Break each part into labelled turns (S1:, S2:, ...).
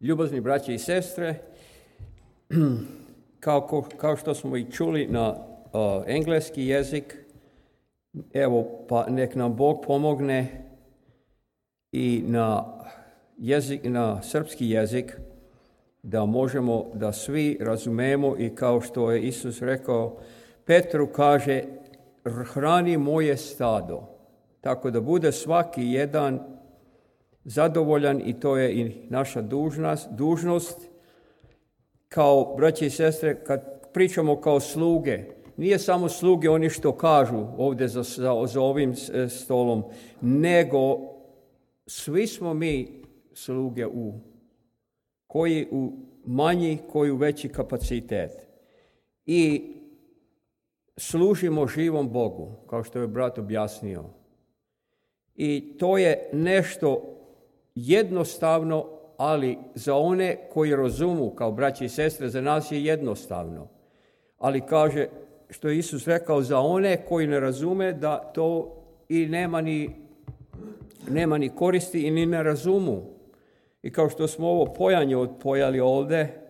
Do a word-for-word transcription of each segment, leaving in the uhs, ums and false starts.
S1: Ljubazni braće i sestre, kao, kao što smo i čuli na uh, engleski jezik, evo pa nek nam Bog pomogne i na, jezik, na srpski jezik da možemo da svi razumemo i kao što je Isus rekao, Petru kaže, hrani moje stado, tako da bude svaki jedan zadovoljan i to je i naša dužnost, dužnost kao braće i sestre, kad pričamo kao sluge, nije samo sluge oni što kažu ovdje za, za, za ovim stolom, nego svi smo mi sluge u koji u manji, koji u veći kapacitet. I služimo živom Bogu, kao što je brat objasnio. I to je nešto jednostavno, ali za one koji razumu, kao braći i sestre, za nas je jednostavno. Ali kaže, što je Isus rekao, za one koji ne razume, da to i nema ni, nema ni koristi i ni ne razumu. I kao što smo ovo pojanje odpojali ovdje,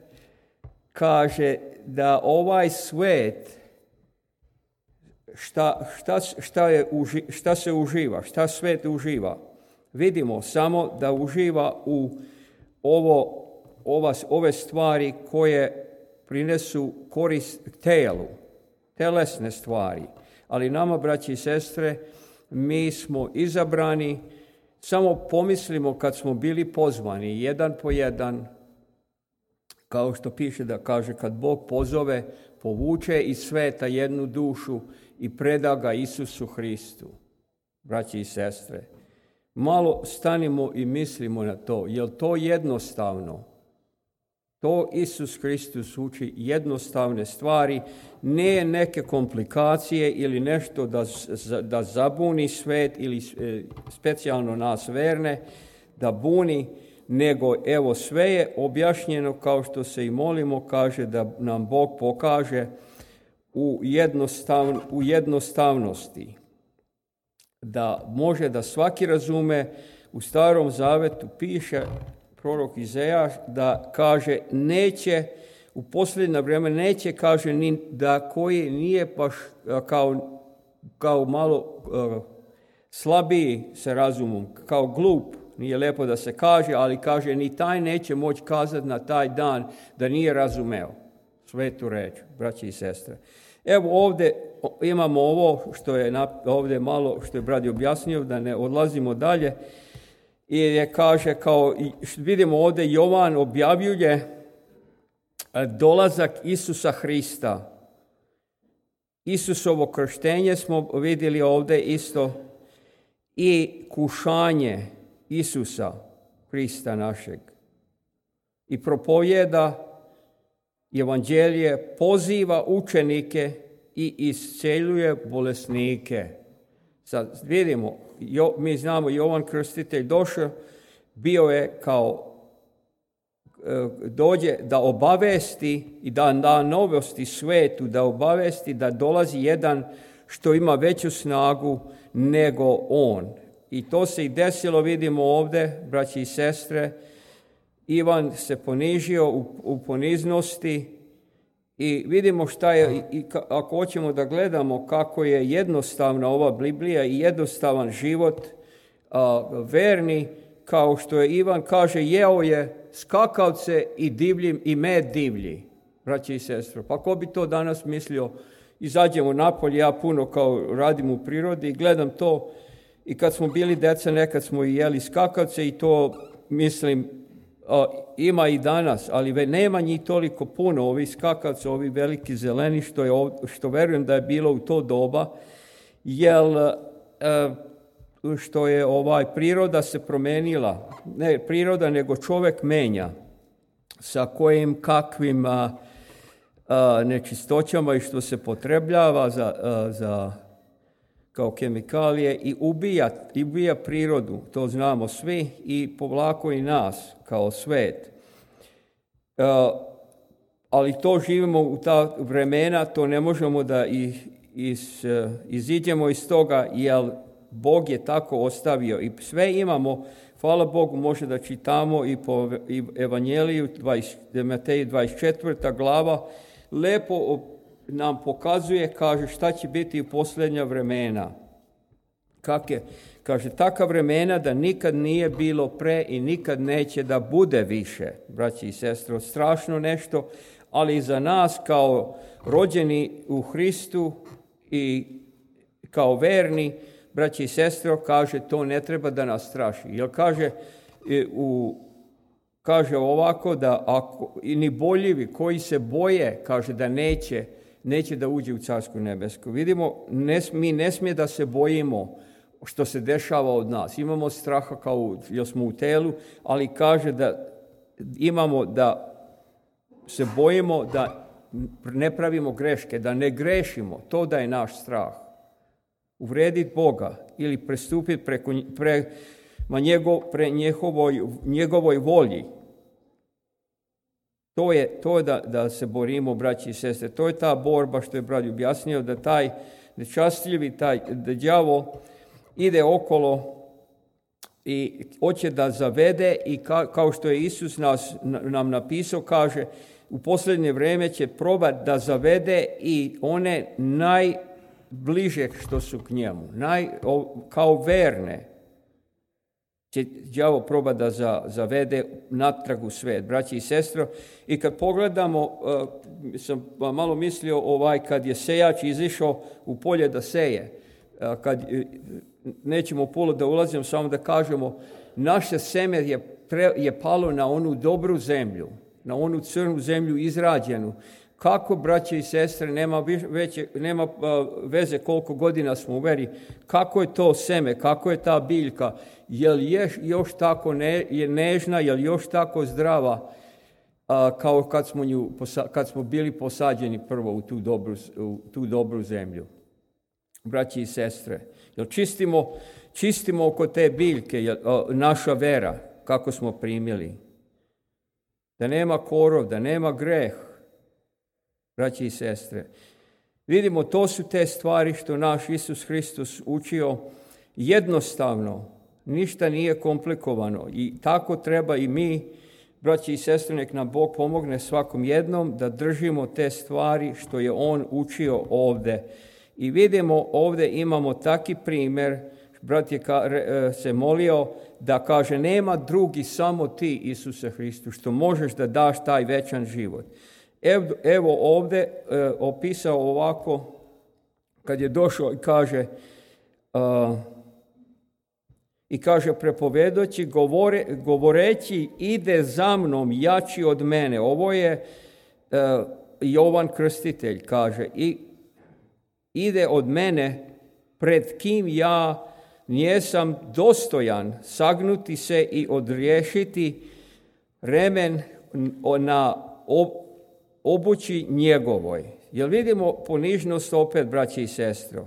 S1: kaže da ovaj svet, šta, šta, šta, je, šta se uživa, šta svet uživa, vidimo samo da uživa u ovo, ova, ove stvari koje prinesu korist telu, telesne stvari. Ali nama, braći i sestre, mi smo izabrani, samo pomislimo kad smo bili pozvani, jedan po jedan, kao što piše da kaže, kad Bog pozove, povuče iz sveta jednu dušu i preda ga Isusu Hristu. Braći i sestre, malo stanimo i mislimo na to, je li to jednostavno? To Isus Hristos uči jednostavne stvari, ne neke komplikacije ili nešto da, da zabuni svet ili specijalno nas verne, da buni, nego evo sve je objašnjeno kao što se i molimo, kaže da nam Bog pokaže u, jednostav, u jednostavnosti. Da može da svaki razume, u Starom Zavetu piše prorok Izaja da kaže neće, u posljednje vrijeme neće, kaže ni da koji nije baš kao, kao malo uh, slabiji sa razumom, kao glup, nije lijepo da se kaže, ali kaže ni taj neće moći kazati na taj dan da nije razumeo svetu reč, braći i sestre. Evo ovdje imamo ovo što je ovdje malo, što je brat objasnio, da ne odlazimo dalje. I je kaže, kao vidimo ovdje, Jovan objavljuje dolazak Isusa Hrista. Isusovo krštenje smo vidjeli ovdje isto i kušanje Isusa Hrista našeg. I propovjeda evanđelje, poziva učenike i isceljuje bolesnike. Sad vidimo, jo, mi znamo Jovan Krstitelj došao, bio je kao e, dođe da obavesti i da da novosti svetu, da obavesti da dolazi jedan što ima veću snagu nego on. I to se i desilo, vidimo ovdje, braći i sestre. Ivan se ponižio u, u poniznosti i vidimo šta je, i ako hoćemo da gledamo kako je jednostavna ova Biblija i jednostavan život a, verni, kao što je Ivan kaže, jeo je skakavce i divlji i med divlji, braći i sestre. Pa ko bi to danas mislio, izađemo napolje, ja puno kao radim u prirodi i gledam to i kad smo bili deca nekad smo i jeli skakavce i to mislim a, ima i danas, ali nema njih toliko puno, ovi skakavci, ovi veliki zeleni, što, je, što verujem da je bilo u to doba, jer što je ovaj priroda se promenila, ne priroda, nego čovjek menja, sa kojim kakvim a, a, nečistoćama i što se potrebljava za, a, za kao kemikalije i ubija, i ubija prirodu, to znamo svi, i povlako i nas kao svet. Uh, ali to živimo u ta vremena, to ne možemo da i, iz, uh, iziđemo iz toga, jer Bog je tako ostavio. I sve imamo Hvala Bogu, može da čitamo i po Evanjeliju, Matej dvadeset četvrta glava, lepo nam pokazuje, kaže, šta će biti u posljednja vremena. Kak je, kaže, taka vremena da nikad nije bilo pre i nikad neće da bude više, braći i sestre, strašno nešto, ali za nas kao rođeni u Hristu i kao verni, braći i sestre, kaže, to ne treba da nas straši. Jer kaže, u, kaže ovako da ako, i ni boljivi koji se boje, kaže da neće, neće da uđe u Carsko nebesko. Vidimo, ne, mi ne smije da se bojimo što se dešava od nas. Imamo straha kao jer smo u telu, ali kaže da imamo da se bojimo da ne pravimo greške, da ne grešimo. To da je naš strah. Uvrediti Boga ili prestupiti preko, prema njegov, pre njegovoj, njegovoj volji. To je to da, da se borimo, braći i sestre. To je ta borba što je brat objasnio, da taj nečastljivi, taj da đavo ide okolo i hoće da zavede i ka, kao što je Isus nas, nam napisao, kaže, u posljednje vrijeme će probati da zavede i one najbliže što su k njemu, naj, kao verne, će đavo probati da za, zavede natrag u svet, braći i sestro. I kad pogledamo, uh, sam malo mislio ovaj, kad je sejač izišao u polje da seje, uh, kad uh, nećemo puno da ulazimo, samo da kažemo, naše seme je, pre, je palo na onu dobru zemlju, na onu crnu zemlju izrađenu. Kako, braće i sestre, nema, veće, nema uh, veze koliko godina smo u veri, kako je to seme, kako je ta biljka, je li je još tako ne, je nežna, je li još tako zdrava uh, kao kad smo, nju, kad smo bili posađeni prvo u tu dobru, u tu dobru zemlju. Braći i sestre, jel čistimo, čistimo oko te biljke jel, uh, naša vera, kako smo primili. Da nema korov, da nema greh. Braći i sestre, vidimo, to su te stvari što naš Isus Hristos učio jednostavno, ništa nije komplikovano i tako treba i mi, braći i sestre, nek nam Bog pomogne svakom jednom da držimo te stvari što je On učio ovdje. I vidimo, ovdje imamo taki primjer, brat je se molio da kaže, nema drugi, samo ti, Isuse Hristu, što možeš da daš taj večan život. Evo ovdje e, opisao ovako, kad je došao i kaže, uh, i kaže prepovedoći, govore, govoreći, ide za mnom jači od mene. Ovo je uh, Jovan Krstitelj, kaže, i ide od mene, pred kim ja njesam dostojan sagnuti se i odriješiti remen na ob, obući njegovoj. Jel vidimo ponižnost opet, braći i sestro?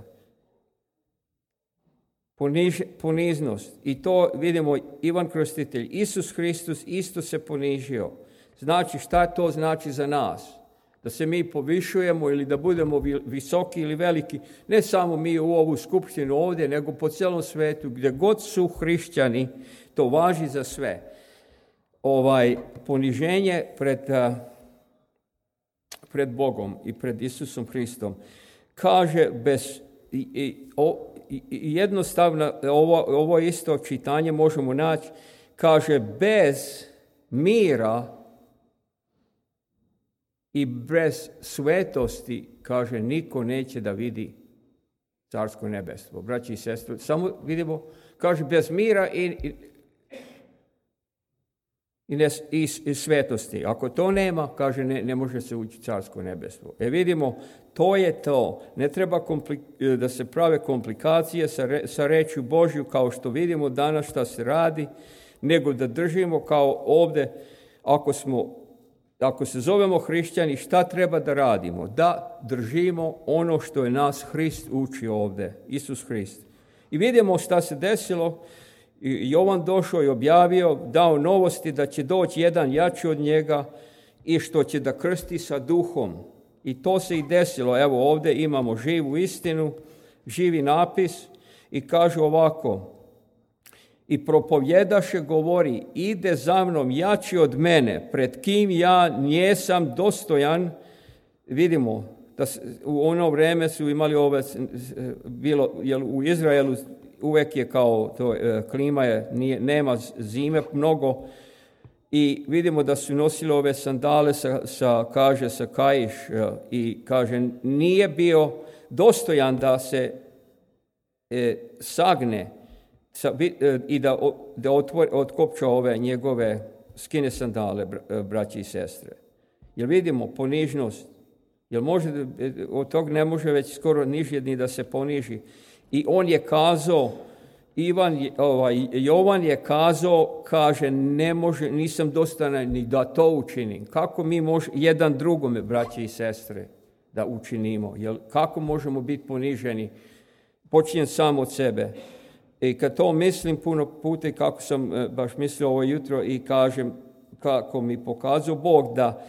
S1: Poniž, poniznost. I to vidimo Ivan Krstitelj. Isus Hristos isto se ponižio. Znači, šta to znači za nas? Da se mi povišujemo ili da budemo visoki ili veliki, ne samo mi u ovu skupštinu ovdje, nego po cijelom svetu, gdje god su hrišćani, to važi za sve. Ovaj poniženje pred, pred Bogom i pred Isusom Hristom. Kaže, bez, i, i, o, i, jednostavno, ovo, ovo isto čitanje možemo naći, kaže, bez mira i bez svetosti, kaže, niko neće da vidi Carsko nebestvo. Braći i sestre, samo vidimo, kaže, bez mira i, i, i, ne, i, i svetosti. Ako to nema, kaže, ne, ne može se ući Carsko nebestvo. E vidimo, to je to. Ne treba komplik, da se prave komplikacije sa, re, sa rečju Božju, kao što vidimo danas šta se radi, nego da držimo kao ovdje, ako smo Ako se zovemo hrišćani, šta treba da radimo? Da držimo ono što je nas Hrist učio ovdje, Isus Hrist. I vidimo šta se desilo. Jovan došao i objavio, dao novosti da će doći jedan jači od njega i što će da krsti sa duhom. I to se i desilo. Evo ovdje imamo živu istinu, živi napis i kaže ovako. i propovjedaše govori, ide za mnom jači od mene, pred kim ja njesam dostojan. Vidimo da u ono vrijeme su imali ove, bilo, jer u Izraelu uvijek je kao to, klima je, nije, nema zime mnogo, i vidimo da su nosili ove sandale sa, sa kaže, sa kaiš, i kaže, nije bio dostojan da se e, sagne sa, e, i da, da otvori, otkopča ove njegove skine sandale, braći i sestre. Jer vidimo ponižnost, jer može, od tog ne može već skoro nižje ni da se poniži. I on je kazao, Ivan, ovaj, Jovan je kazao, kaže, ne može, nisam dostojan ni da to učinim. Kako mi možemo jedan drugome, braći i sestre, da učinimo? Jer kako možemo biti poniženi? Počinjem sam od sebe. I kad to mislim puno puta, kako sam baš mislio ovo jutro, i kažem kako mi pokazao Bog da,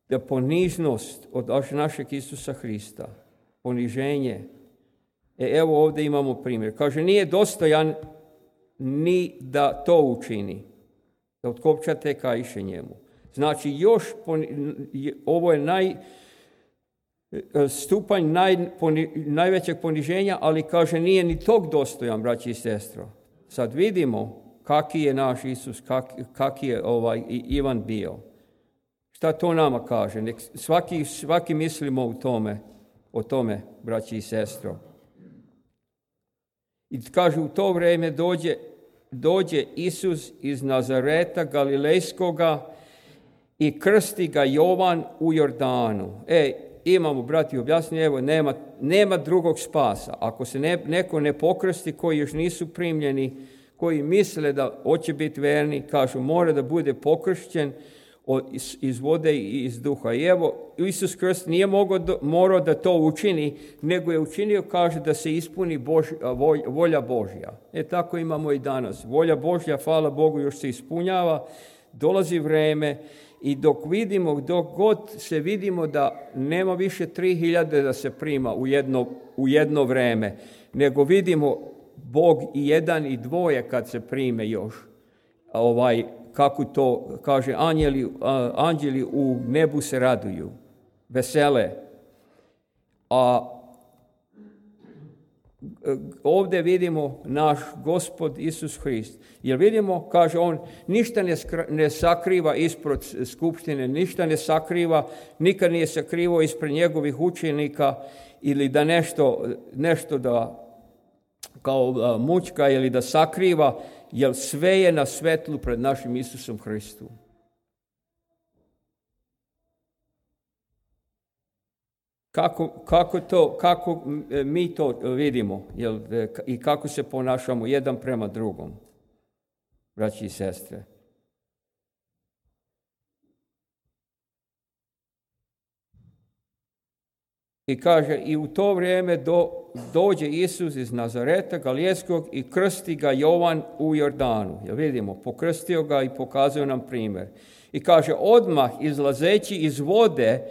S1: da ponižnost od našeg Isusa Hrista, poniženje. E, evo ovdje imamo primjer. Kaže, nije dostojan ni da to učini, da otkopča te kaiše njemu. Znači, još ovo je naj, stupanj naj, poni, najvećeg poniženja, ali kaže, nije ni tog dostojan, braći i sestro. Sad vidimo kaki je naš Isus, kak, kaki je ovaj Ivan bio. Šta to nama kaže? Nek svaki, svaki mislimo u tome, o tome, braći i sestro. I kaže, u to vrijeme dođe, dođe Isus iz Nazareta Galilejskoga i krsti ga Jovan u Jordanu. E, imamo, brati, objasnije, evo, nema, nema drugog spasa. Ako se ne, neko ne pokrsti, koji još nisu primljeni, koji misle da hoće biti verni, kažu, mora da bude pokršćen iz, iz vode i iz duha. I evo, Isus Krist nije mogao do, morao da to učini, nego je učinio, kaže, da se ispuni Bož, volja Božja. E, tako imamo i danas. Volja Božja, hvala Bogu, još se ispunjava, dolazi vrijeme, i dok vidimo, dok god se vidimo da nema više tri hiljade da se prima u jedno, u jedno vrijeme, nego vidimo Bog i jedan i dvoje kad se prime još, ovaj, kako to kaže, anjeli, anđeli u nebu se raduju, vesele. A ovdje vidimo naš Gospod Isus Hrist. Jer vidimo, kaže on, ništa ne, skra, ne sakriva ispred skupštine, ništa ne sakriva, nikad nije sakrivao ispred njegovih učenika, ili da nešto, nešto da kao mućka ili da sakriva, jer sve je na svetlu pred našim Isusom Hristom. Kako, kako, to, kako mi to vidimo, jel, i kako se ponašamo jedan prema drugom, braći i sestre. I kaže, i u to vrijeme do, dođe Isus iz Nazareta Galilejskog i krsti ga Jovan u Jordanu. Jel vidimo, pokrstio ga i pokazuje nam primjer. I kaže, odmah izlazeći iz vode,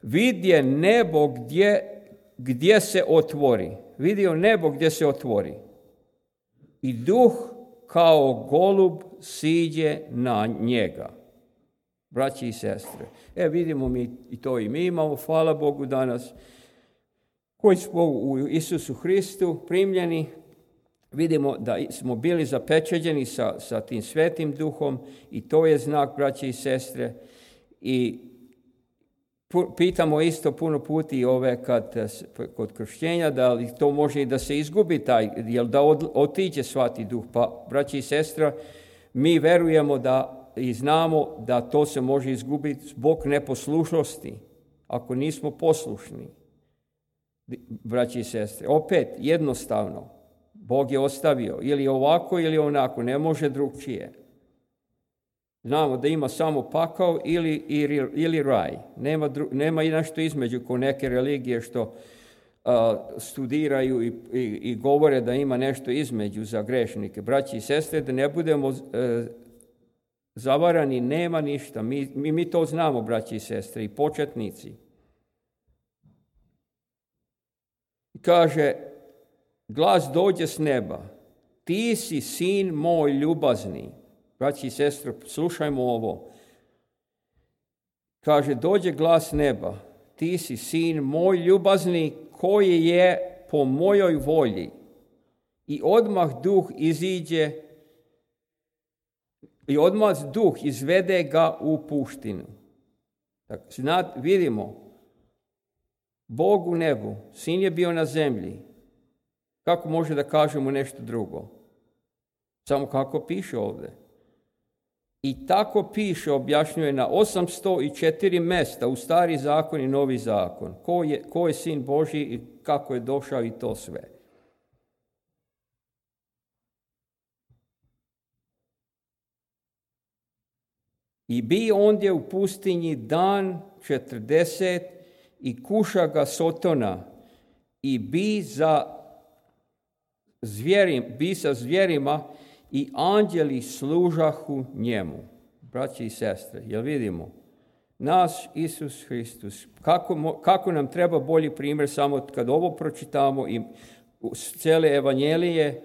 S1: vidje nebo gdje, gdje se otvori. Vidio nebo gdje se otvori. I duh kao golub siđe na njega. Braći i sestre. E, vidimo mi i to i mi imamo, hvala Bogu danas, koji smo u Isusu Hristu primljeni. Vidimo da smo bili zapečeđeni sa, sa tim svetim duhom, i to je znak, braći i sestre. I pitamo isto puno puti ove kad, kod krštenja, da li to može i da se izgubi taj, jel da od, otiđe svati duh. Pa, braći i sestra, mi verujemo da i znamo da to se može izgubiti zbog neposlušnosti, ako nismo poslušni. Braći i sestre, opet jednostavno, Bog je ostavio ili ovako ili onako, ne može drugčije. Znamo da ima samo pakao ili, ili, ili raj. Nema, dru, nema i nešto između ko neke religije što uh, studiraju i, i, i govore da ima nešto između za grešnike. Braći i sestre, da ne budemo uh, zavarani, nema ništa. Mi, mi, mi to znamo, braći i sestre, i početnici. Kaže, glas dođe s neba. ti si sin moj ljubazni. Braći i sestre, slušajmo ovo. Kaže, dođe glas neba, ti si sin moj ljubazni koji je po mojoj volji. I odmah duh iziđe, i odmah duh izvede ga u puštinu. Tako, znat, vidimo, Bog u nebu, sin je bio na zemlji. Kako može da kažemo nešto drugo? Samo kako piše ovdje. I tako piše, objašnjuje na osamsto četiri mjesta u Stari zakon i Novi zakon. Ko je, ko je sin Božji i kako je došao i to sve. I bi ondje u pustinji dan četrdeset i kuša ga sotona i bi za zvjerim, bi sa zvjerima i anđeli služahu njemu. Braći i sestre, jel vidimo? Naš Isus Hristus, kako, kako nam treba bolji primjer samo kad ovo pročitamo i cijele evanjelije,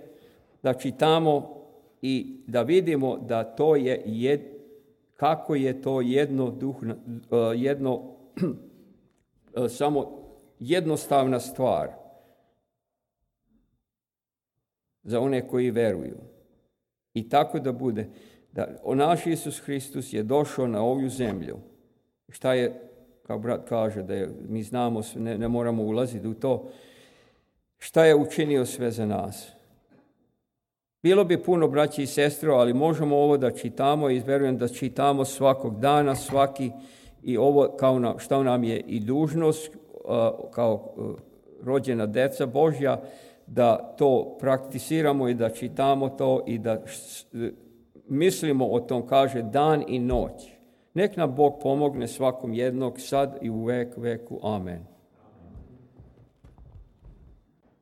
S1: da čitamo i da vidimo da to je jed, kako je to jedno duhno, jedno samo jednostavna stvar za one koji veruju. I tako da bude, da naš Isus Hristus je došao na ovu zemlju. Šta je, kao brat kaže, da je, mi znamo, ne, ne moramo ulaziti u to, šta je učinio sve za nas. Bilo bi puno, braći i sestre, ali možemo ovo da čitamo i verujem da čitamo svakog dana, svaki, i ovo kao na, šta nam je i dužnost, kao rođena deca Božja, da to prakticiramo i da čitamo to i da mislimo o tom, kaže, dan i noć. Nek nam Bog pomogne svakom jednog, sad i u vek veku. Amen.